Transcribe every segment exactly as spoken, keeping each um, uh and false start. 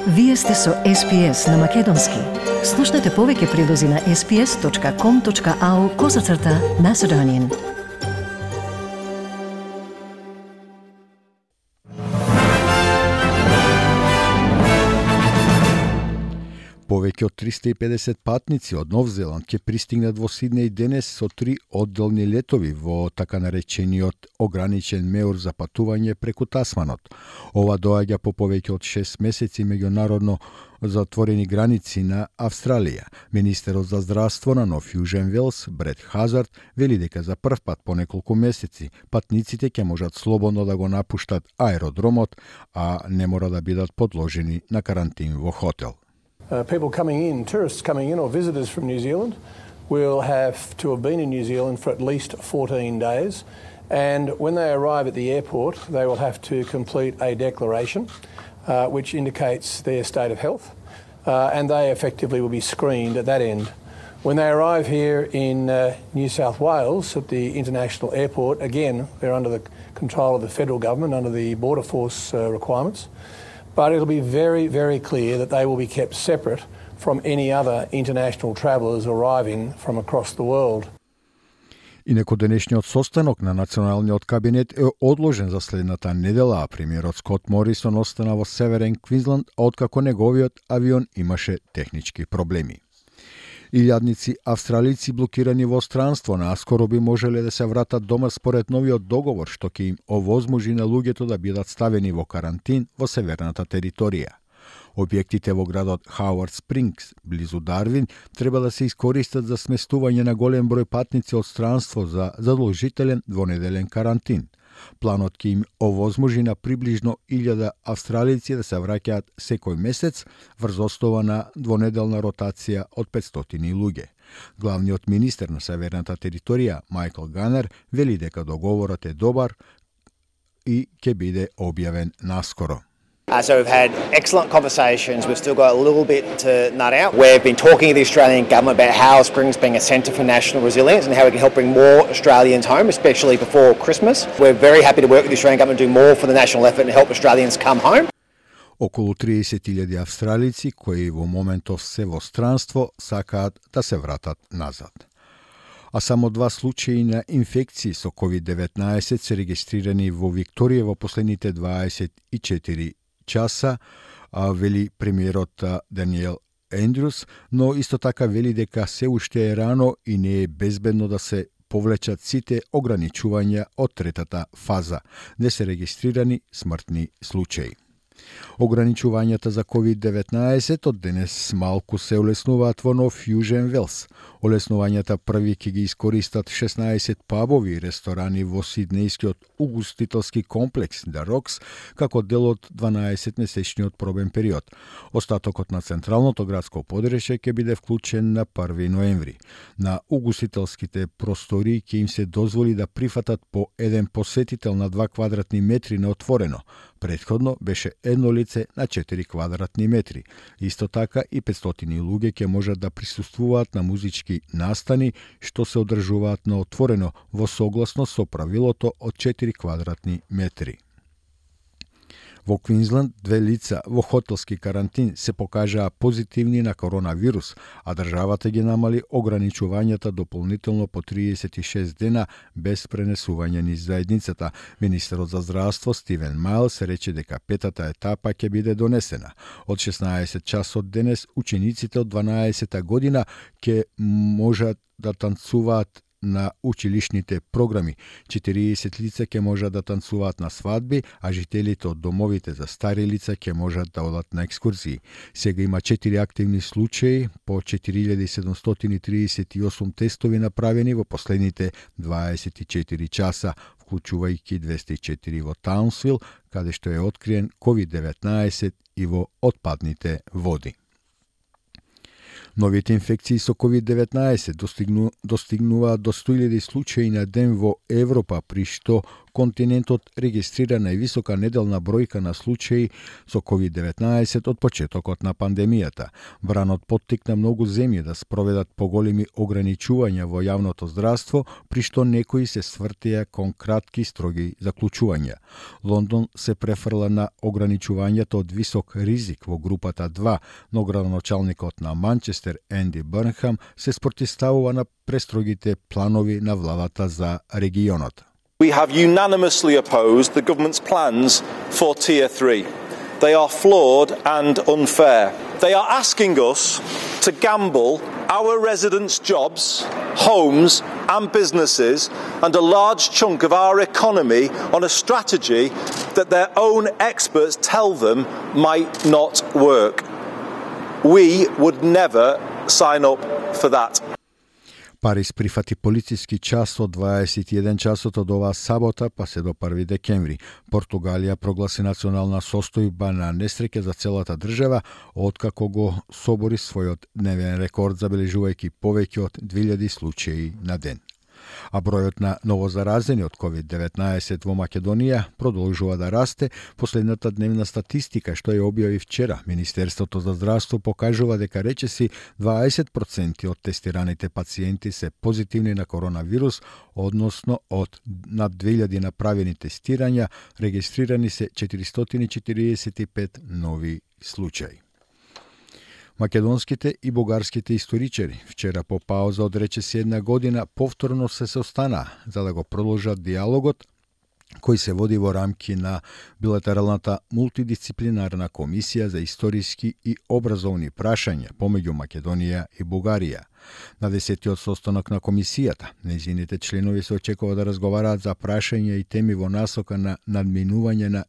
Вие сте со Ес Пи Ес на Македонски. Слушнете повеќе прилози на ес пи ес точка ком точка ау козацрта Macedonian. Повеќе од триста и педесет патници од Нов Зеланд ќе пристигнат во Сиднеј денес со три одделни летови во така наречениот ограничен меур за патување преку Тасманот. Ова доаѓа по повеќе од шест месеци меѓународно затворени граници на Австралија. Министерот за здравство на Нов Јужен Велс, Брет Хазард, вели дека за прв пат по неколку месеци патниците ќе можат слободно да го напуштат аеродромот, а не мора да бидат подложени на карантин во хотел. Uh, people coming in, tourists coming in or visitors from New Zealand will have to have been in New Zealand for at least fourteen days, and when they arrive at the airport they will have to complete a declaration uh, which indicates their state of health, uh, and they effectively will be screened at that end. When they arrive here in uh, New South Wales at the international airport, again they're under the control of the federal government under the Border Force uh, requirements. But it'll be very, very clear that they will be kept separate from any other international travellers arriving from across the world. Инаку денешниот состанок на националниот кабинет е одложен за следната недела, а премиерот Скот Морисон остана во Северен Квинсленд, откако неговиот авион имаше технички проблеми. Илјадници австралици блокирани во странство наскоро би можеле да се вратат дома според новиот договор што ќе им овозможи на луѓето да бидат ставени во карантин во северната територија. Објектите во градот Хауард Спрингс, близу Дарвин, треба да се искористат за сместување на голем број патници од странство за задолжителен двонеделен карантин. Планот ќе им овозможи на приближно илјада австралици да се враќаат секој месец врз основа на двонеделна ротација од петстотини луѓе. Главниот министер на северната територија, Майкл Ганер, вели дека договорот е добар и ќе биде објавен наскоро. Uh, so we've had excellent conversations. We've still got a little bit to nut out. We've been talking to the Australian government about how Springs being a centre for national resilience and how we can help bring more Australians home, especially before Christmas. We're very happy to work with the Australian government to do more for the national effort and help Australians come home. Околу триесет илјади австралици кои во моментов се во странство сакаат да се вратат назад. А само два случаи на инфекции со ковид деветнаесет се регистрирани во Викторија во последните дваесет и четири часа, а, вели премиерот Даниел Ендрюс, но исто така вели дека се уште е рано и не е безбедно да се повлечат сите ограничувања од третата фаза, де се регистрирани смртни случаи. Ограничувањата за ковид деветнаесет од денес малку се олеснуваат во Нов Јужен Велс. Олеснувањата први ќе ги искористат шеснаесет пабови и ресторани во сиднејскиот угостителски комплекс The Rocks како дел од дванаесетмесечниот пробен период. Остатокот на централното градско подречје ќе биде вклучен на први ноември. На угостителските простори ќе им се дозволи да прифатат по еден посетител на два квадратни метри на отворено. Претходно беше едно лице на четири квадратни метри. Исто така и петстотини луѓе ќе можат да присуствуваат на музички настани што се одржуваат на отворено во согласно со правилото од четири квадратни метри. Во Квинсленд две лица во хотелски карантин се покажаа позитивни на коронавирус, а државата ги намали ограничувањата дополнително по триесет и шест дена без пренесување низ заедницата. Министерот за здравство Стивен Мајлс рече дека петата етапа ќе биде донесена. Од шеснаесет часот денес учениците од дванаесета година ќе можат да танцуваат на училишните програми. четириесет лица ќе можат да танцуваат на свадби, а жителите од домовите за стари лица ќе можат да одат на екскурзии. Сега има четири активни случаи по четири илјади седумстотини триесет и осум тестови направени во последните дваесет и четири часа, вклучувајќи двесте и четири во Таунсвил, каде што е откриен ковид деветнаесет и во отпадните води. Новите инфекции со ковид деветнаесет достигну, достигнуваат до сто илјади случаи на ден во Европа, при што континентот регистрира највисока неделна бројка на случаи со ковид деветнаесет од почетокот на пандемијата. Бранот поттикна многу земји да спроведат поголеми ограничувања во јавното здравство, при што некои се свртија кон кратки строги заклучувања. Лондон се префрла на ограничувањето од висок ризик во групата два, но градоначалникот на Манчестер Енди Бърнхам се спротивставува на престрогите планови на владата за регионот. We have unanimously opposed the government's plans for Tier three. They are flawed and unfair. They are asking us to gamble our residents' jobs, homes and businesses and a large chunk of our economy on a strategy that their own experts tell them might not work. We would never sign up for that. Париз прифати полициски час од дваесет и еден часот од оваа сабота па се до први декември. Португалија прогласи национална состојба на несреќа за целата држава, откако го собори својот дневен рекорд, забележувајќи повеќе од две илјади случаи на ден. А бројот на новозаразени од ковид деветнаесет во Македонија продолжува да расте. Последната дневна статистика што ја објави вчера Министерството за здравство покажува дека речиси дваесет проценти од тестираните пациенти се позитивни на коронавирус, односно од над две илјади направени тестирања регистрирани се четиристотини и четиридесет и пет нови случаи. Македонските и бугарските историчари вчера по пауза од речиси една година повторно се состана за да го продолжат диалогот кој се води во рамки на билатералната мултидисциплинарна комисија за историски и образовни прашања помеѓу Македонија и Бугарија. На десетиот состанок на комисијата, нејзините членови се очекува да разговараат за прашања и теми во насока на надминување на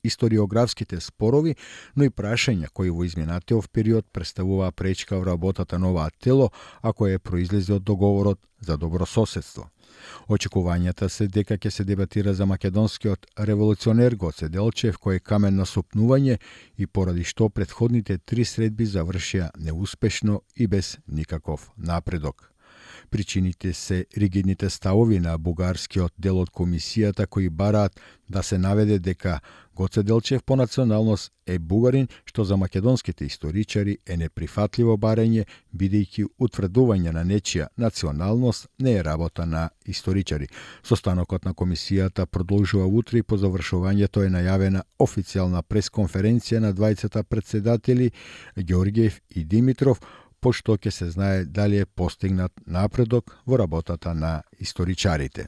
историографските спорови, но и прашања кои во изминатиот период представуваа пречка во работата на оваа тело, ако е произлезе од договорот за добрососедство. Очекувањата се дека ќе се дебатира за македонскиот револуционер Гоце Делчев, кој е камен на сопнување и поради што претходните три средби завршија неуспешно и без никаков напредок. Причините се ригидните ставови на бугарскиот дел од комисијата кои бараат да се наведе дека Гоце Делчев по националност е бугарин, што за македонските историчари е неприфатливо барање, бидејќи утврдување на нечија националност не е работа на историчари. Состанокот на комисијата продолжува утре и по завршувањето е најавена официјална пресконференција на двајцата претседатели Ѓорѓиев и Димитров, пошто ќе се знае дали е постигнат напредок во работата на историчарите.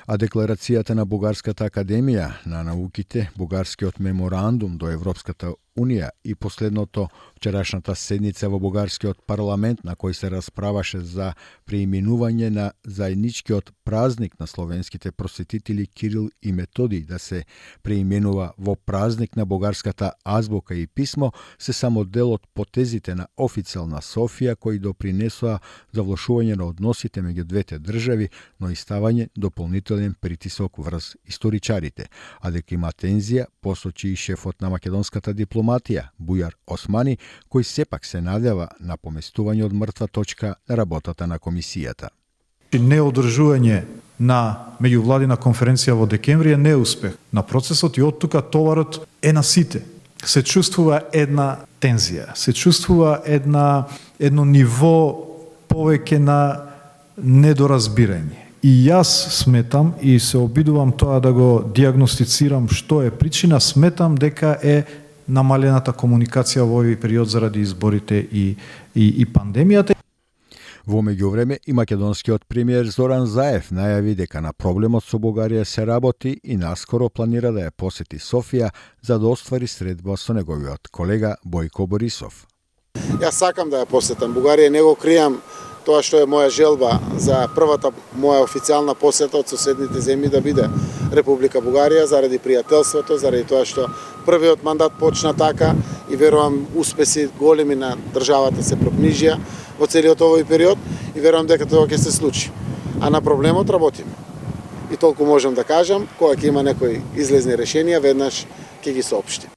А декларацијата на Бугарската академија на науките, Бугарскиот меморандум до Европската Унија и последното вчерашната седница во Бугарскиот парламент на кој се расправаше за преименување на заедничкиот празник на словенските просветители Кирил и Методий да се преименува во празник на бугарската азбука и писмо, се само дел од потезите на официјална Софија кои допринесоа за влошување на односите меѓу двете држави, но и ставање дополнителен притисок врз историчарите. А дека има тензија, посочи и шефот на македонската дипломатија Бујар Османи, кој сепак се надева на поместување од мртва точка на работата на комисијата. Неодржување на меѓувладина конференција во декември е неуспех на процесот и од тука товарот е на сите. Се чувствува една тензија, се чувствува една едно ниво повеќе на недоразбирање. И јас сметам и се обидувам тоа да го диагностицирам што е причина, сметам дека е намалената комуникација во овој период заради изборите и, и, и пандемијата. Во меѓувреме и македонскиот премиер Зоран Заев најави дека на проблемот со Бугарија се работи и наскоро планира да ја посети Софија за да оствари средба со неговиот колега Бојко Борисов. Јас сакам да ја посетам Бугарија, не го кријам тоа што е моја желба за првата моја официјална посета од соседните земји да биде Република Бугарија заради пријателството, заради тоа што првиот мандат почна така и верувам успеси големи на државата се прокнижија во целиот овој период и верувам дека тоа ќе се случи. А на проблемот работиме. И толку можам да кажам, кога ќе има некои излезни решенија, веднаш ќе ги соопштим.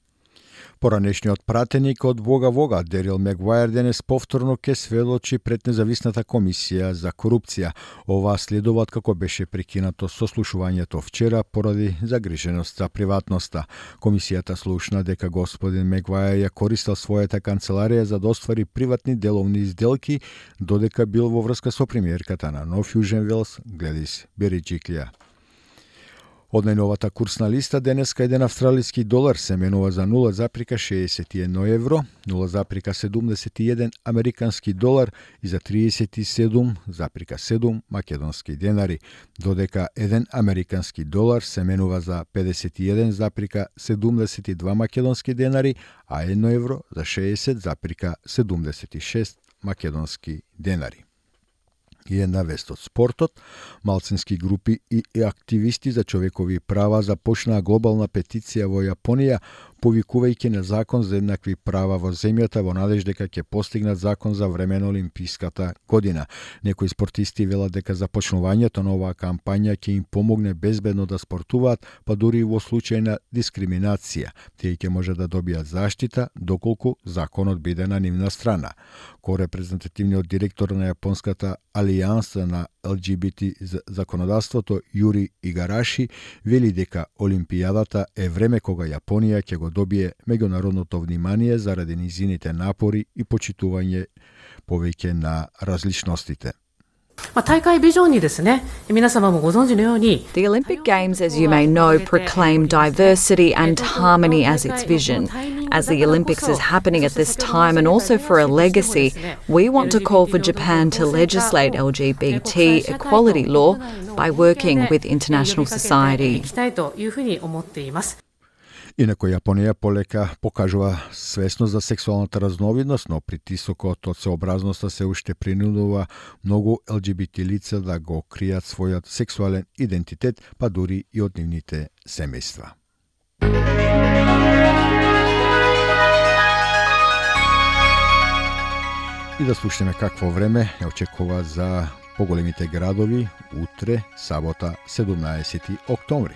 Поранешниот пратеник од Вога Вога, Дерил Мегвајер, денес повторно ке сведочи пред независната комисија за корупција. Ова следува од како беше прекинато сослушувањето вчера поради загриженост за приватноста. Комисијата слушна дека господин Мегвајер ја користел својата канцеларија за да оствари приватни деловни изделки, додека бил во врска со премиерката на Нов Јужен Велс, Гледис Бериџиклија. Од најновата курсна листа денеска еден австралиски долар се менува за нула запирка шеесет и едно евро, нула запирка седумдесет и еден американски долар и за триесет и седум запирка седум македонски денари, додека еден американски долар се менува за педесет и еден запирка седумдесет и два македонски денари, а едно евро за шеесет запирка седумдесет и шест македонски денари. И една вест од спортот, малцински групи и активисти за човекови права започнаа глобална петиција во Јапонија, повикувајќи на закон за еднакви права во земјата во надеж дека ќе постигнат закон за време на Олимписката година. Некои спортисти велат дека започнувањето на оваа кампања ќе им помогне безбедно да спортуваат, па дури и во случај на дискриминација. Тие ќе може да добијат заштита доколку законот биде на нивна страна. Ко-репрезентативниот директор на Јапонската алијанса на Ел Џи Би Ти законодавството Јури Игараши вели дека Олимпијадата е време кога Јапонија ќе го добие меѓународното внимание заради низините напори и почитување повеќе на различностите. The Olympic Games, as you may know, proclaim diversity and harmony as its vision. As the Olympics is happening at this time and also for a legacy, we want to call for Japan to legislate L G B T equality law by working with international society. Инако Јапонија полека покажува свесност за сексуалната разновидност, но притисокот од сообразноста се уште принудува многу Ел Џи Би Ти лица да го кријат својот сексуален идентитет, па дури и од нивните семејства. И да слушнеме какво време ја очекува за поголемите градови утре, сабота, седумнаесети октомври.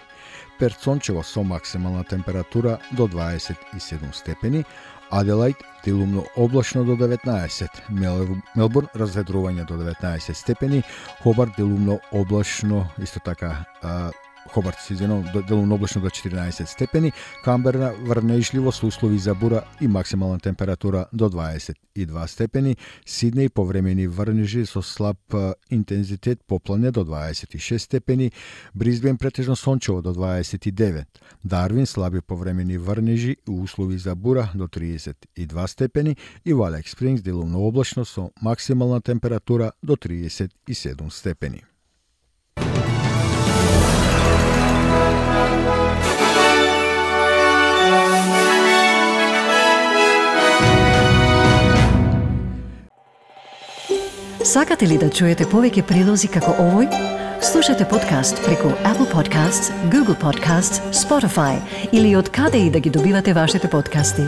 Перт сончево со максимална температура до дваесет и седум степени, Аделајд делумно облачно до деветнаесет, Мелбурн разведрување до деветнаесет степени, Хобарт делумно облачно, исто така Хобарт се извинувам, делумно облачно до четиринаесет степени, Камбера врнежливо со услови за бура и максимална температура до дваесет и два степени, Сиднеј повремени врнежи со слаб интензитет поплане до дваесет и шест степени, Брисбен претежно сончево до дваесет и девет, Дарвин слаби повремени врнежи и услови за бура до триесет и два степени и во Алекс Спрингс делумно облачно со максимална температура до триесет и седум степени. Сакате ли да чуете повеќе прилози како овој? Слушате подкаст преку Apple Podcasts, Google Podcasts, Spotify или од каде и да ги добивате вашите подкасти.